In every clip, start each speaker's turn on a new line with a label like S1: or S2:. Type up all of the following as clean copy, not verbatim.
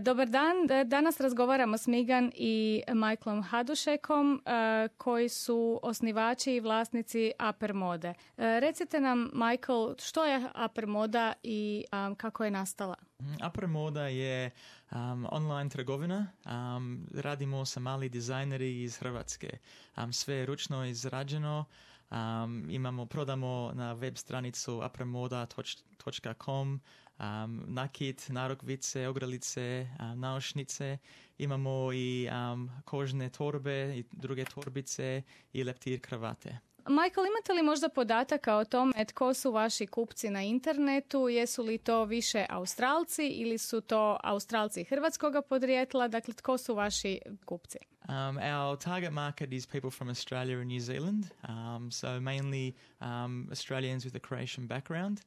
S1: Dobar dan, danas razgovaramo s Megan i Michaelom Hadušekom koji su osnivači i vlasnici Upper Mode. Recite nam, Michael, što je Upper Moda i kako je nastala?
S2: Upper Moda je online trgovina. Radimo sa mali dizajneri iz Hrvatske. Sve je ručno izrađeno. Prodamo na web stranicu uppermoda.com nakit, narukvice, ogrlice, naušnice. Imamo i kožne torbe i druge torbice i leptir kravate.
S1: Michael, imate li možda podataka o tome tko su vaši kupci na internetu? Jesu li to više Australci ili su to Australci hrvatskog podrijetla? Dakle, tko su vaši kupci?
S2: Our target market is people from Australia and New Zealand, so mainly Australians with a Croatian background.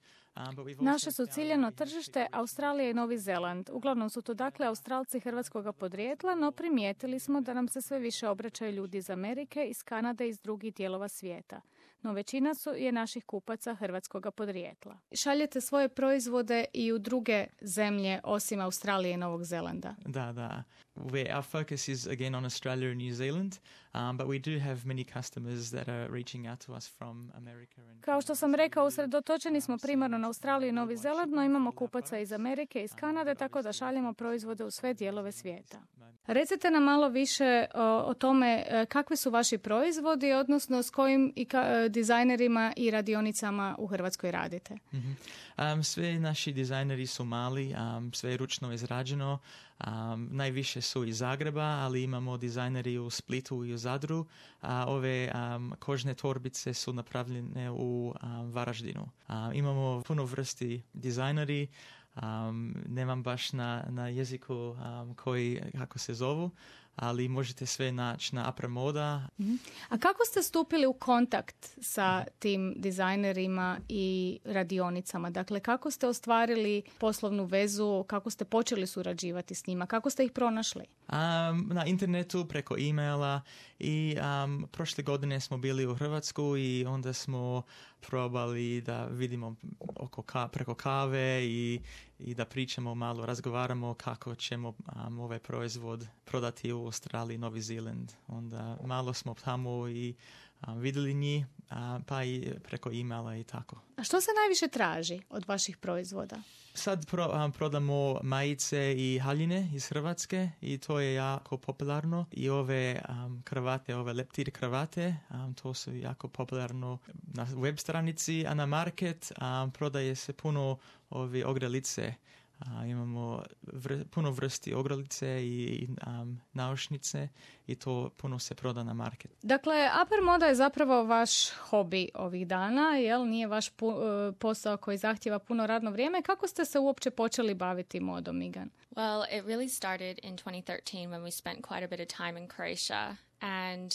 S1: Naše su ciljano tržište Australija i Novi Zeland. Uglavnom su to dakle Australci hrvatskog podrijetla, no primijetili smo da nam se sve više obraćaju ljudi iz Amerike, iz Kanade i iz drugih dijelova svijeta. No većina je naših kupaca hrvatskog podrijetla. Šaljete svoje proizvode i u druge zemlje osim Australije i Novog Zelanda?
S2: Da. Our focus is again on Australia and New Zealand, but we do have many customers that are reaching out to us from America.
S1: Kao što sam rekao, usredotočeni smo primarno na Australiju i Novi Zeland, no imamo kupaca iz Amerike i iz Kanade, tako da šaljemo proizvode u sve dijelove svijeta. Recite nam malo više o tome kakvi su vaši proizvodi, odnosno s kojim dizajnerima i radionicama u Hrvatskoj radite.
S2: Sve naši dizajneri su mali, sve je ručno izrađeno. Najviše su iz Zagreba, ali imamo dizajneri u Splitu i u Zadru. Ove kožne torbice su napravljene u Varaždinu. Imamo puno vrsti dizajneri. Nemam baš na jeziku kako se zovu, ali možete sve naći na Upper Moda.
S1: A kako ste stupili u kontakt sa tim dizajnerima i radionicama? Dakle, kako ste ostvarili poslovnu vezu, kako ste počeli surađivati s njima, kako ste ih pronašli?
S2: Na internetu, preko e-maila i prošle godine smo bili u Hrvatsku i onda smo probali da vidimo preko kave i da pričamo malo, razgovaramo kako ćemo ovaj proizvod prodati u Australiji, Novi Zeland. Onda malo smo tamo i vidjeli njih, pa i preko e-maila i tako.
S1: A što se najviše traži od vaših proizvoda?
S2: Sad prodamo majice i haljine iz Hrvatske i to je jako popularno. I ove kravate, ove leptir kravate, to su jako popularno na web stranici, a na market prodaje se puno ove ogrlice. Imamo puno vrsti ogrlice i naušnice i to puno se proda na market.
S1: Dakle, Upper Moda je zapravo vaš hobi ovih dana, jel? Nije vaš posao koji zahtjeva puno radno vrijeme. Kako ste se uopće počeli baviti modom, Megan?
S3: Well, it really started in 2013 when we spent quite a bit of time in Croatia and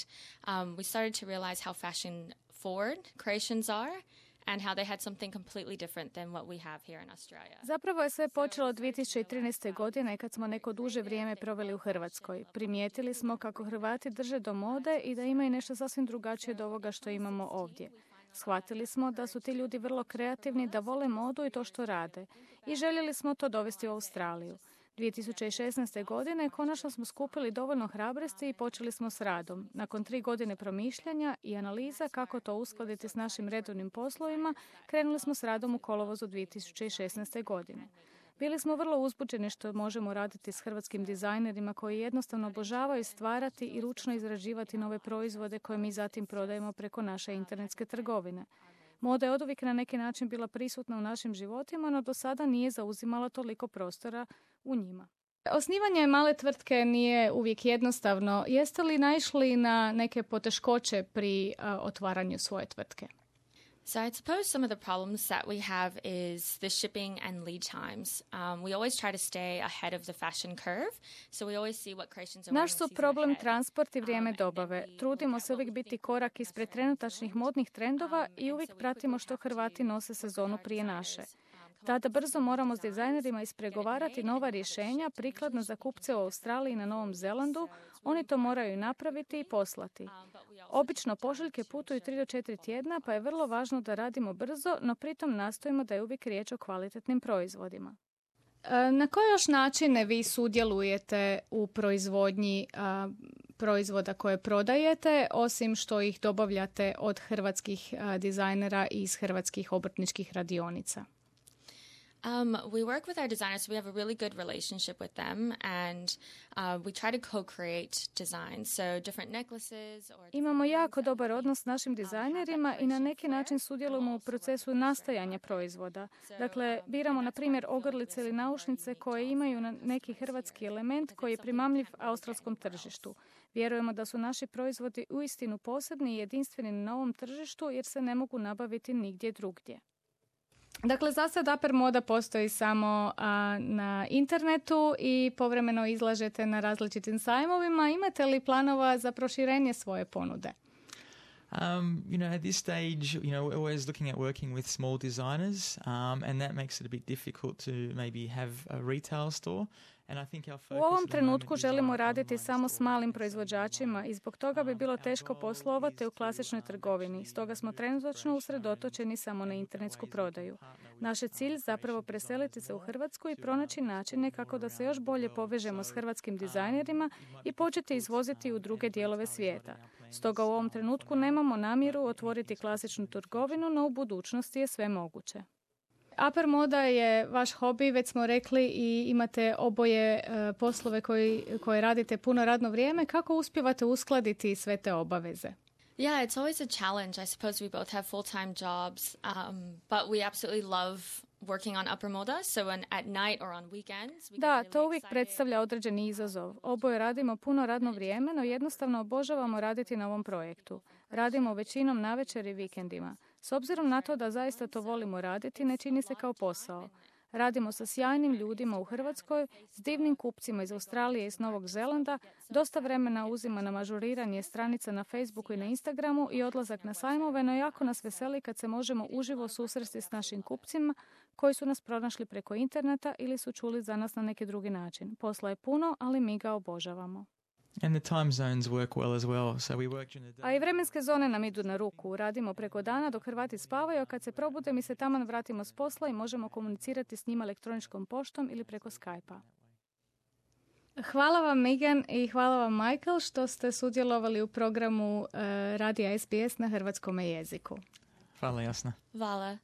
S3: we started to realize how fashion forward Croatians are. And how they had something completely different than what we have here in Australia.
S1: Zapravo je sve počelo 2013. godine kad smo neko duže vrijeme proveli u Hrvatskoj. Primijetili smo kako Hrvati drže do mode i da imaju nešto sasvim drugačije od ovoga što imamo ovdje. Shvatili smo da su ti ljudi vrlo kreativni, da vole modu i to što rade. I željeli smo to dovesti u Australiju. 2016. godine konačno smo skupili dovoljno hrabrosti i počeli smo s radom. Nakon 3 godine promišljanja i analiza kako to uskladiti s našim redovnim poslovima, krenuli smo s radom u kolovozu 2016. godine. Bili smo vrlo uzbuđeni što možemo raditi s hrvatskim dizajnerima koji jednostavno obožavaju stvarati i ručno izrađivati nove proizvode koje mi zatim prodajemo preko naše internetske trgovine. Moda je oduvijek na neki način bila prisutna u našim životima, no do sada nije zauzimala toliko prostora u njima. Osnivanje male tvrtke nije uvijek jednostavno. Jeste li naišli na neke poteškoće pri otvaranju svoje tvrtke?
S3: So I suppose some of the problems that we have is the shipping and lead times. We always try to stay ahead of the fashion curve, so we always see what creations are.
S1: Naš su problem transport i vrijeme dobave. Trudimo se uvijek biti korak ispred trenutačnih modnih trendova i uvijek pratimo što Hrvati nose sezonu prije naše. Tada brzo moramo s dizajnerima ispregovarati nova rješenja prikladna za kupce u Australiji i na Novom Zelandu. Oni to moraju napraviti i poslati. Obično pošiljke putuju 3 do 4 tjedna, pa je vrlo važno da radimo brzo, no pritom nastojimo da je uvijek riječ o kvalitetnim proizvodima. Na koje još načine vi sudjelujete u proizvodnji proizvoda koje prodajete, osim što ih dobavljate od hrvatskih dizajnera i iz hrvatskih obrtničkih radionica?
S3: We work with our designers, so we have a really good relationship with them, and we try to co-create designs, so different necklaces or...
S1: Imamo jako dobar odnos s našim dizajnerima i na neki način sudjelujemo u procesu nastajanja proizvoda. Dakle, biramo, na primjer, ogrlice ili naušnice koje imaju neki hrvatski element koji je primamljiv australskom tržištu. Vjerujemo da su naši proizvodi uistinu posebni i jedinstveni na ovom tržištu jer se ne mogu nabaviti nigdje drugdje. Dakle, za sad Upper Moda postoji samo na internetu i povremeno izlažete na različitim sajmovima. Imate li planova za proširenje svoje ponude?
S2: At this stage, we're always looking at working with small designers, and that makes it a bit difficult to maybe have a retail store.
S1: U ovom trenutku želimo raditi samo s malim proizvođačima i zbog toga bi bilo teško poslovati u klasičnoj trgovini. Stoga smo trenutačno usredotočeni samo na internetsku prodaju. Naš je cilj zapravo preseliti se u Hrvatsku i pronaći načine kako da se još bolje povežemo s hrvatskim dizajnerima i početi izvoziti u druge dijelove svijeta. Stoga u ovom trenutku nemamo namjeru otvoriti klasičnu trgovinu, no u budućnosti je sve moguće. Upper Moda je vaš hobi, već smo rekli, i imate oboje poslove koje radite puno radno vrijeme. Kako uspijevate uskladiti sve te obaveze?
S3: Yeah, it's always a challenge. I suppose we both have full-time jobs, but we absolutely love working on Upper Moda, so at night or on weekends.
S1: Da, to uvijek predstavlja određeni izazov. Oboje radimo puno radno vrijeme, no jednostavno obožavamo raditi na ovom projektu. Radimo većinom navečer i vikendima. S obzirom na to da zaista to volimo raditi, ne čini se kao posao. Radimo sa sjajnim ljudima u Hrvatskoj, s divnim kupcima iz Australije i s Novog Zelanda, dosta vremena uzima na ažuriranje stranica na Facebooku i na Instagramu i odlazak na sajmove, no jako nas veseli kad se možemo uživo susresti s našim kupcima koji su nas pronašli preko interneta ili su čuli za nas na neki drugi način. Posla je puno, ali mi ga obožavamo.
S2: And the time zones work well as well, so we work during the day.
S1: A i vremenske zone nam idu na ruku. Radimo preko dana dok Hrvati spavaju, a kad se probude mi se taman vratimo s posla i možemo komunicirati s njima elektroničkom poštom ili preko Skype-a. Hvala vam, Megan, i hvala vam, Michael, što ste sudjelovali u programu Radija SBS na hrvatskom jeziku.
S2: Hvala, Jasna.
S3: Hvala.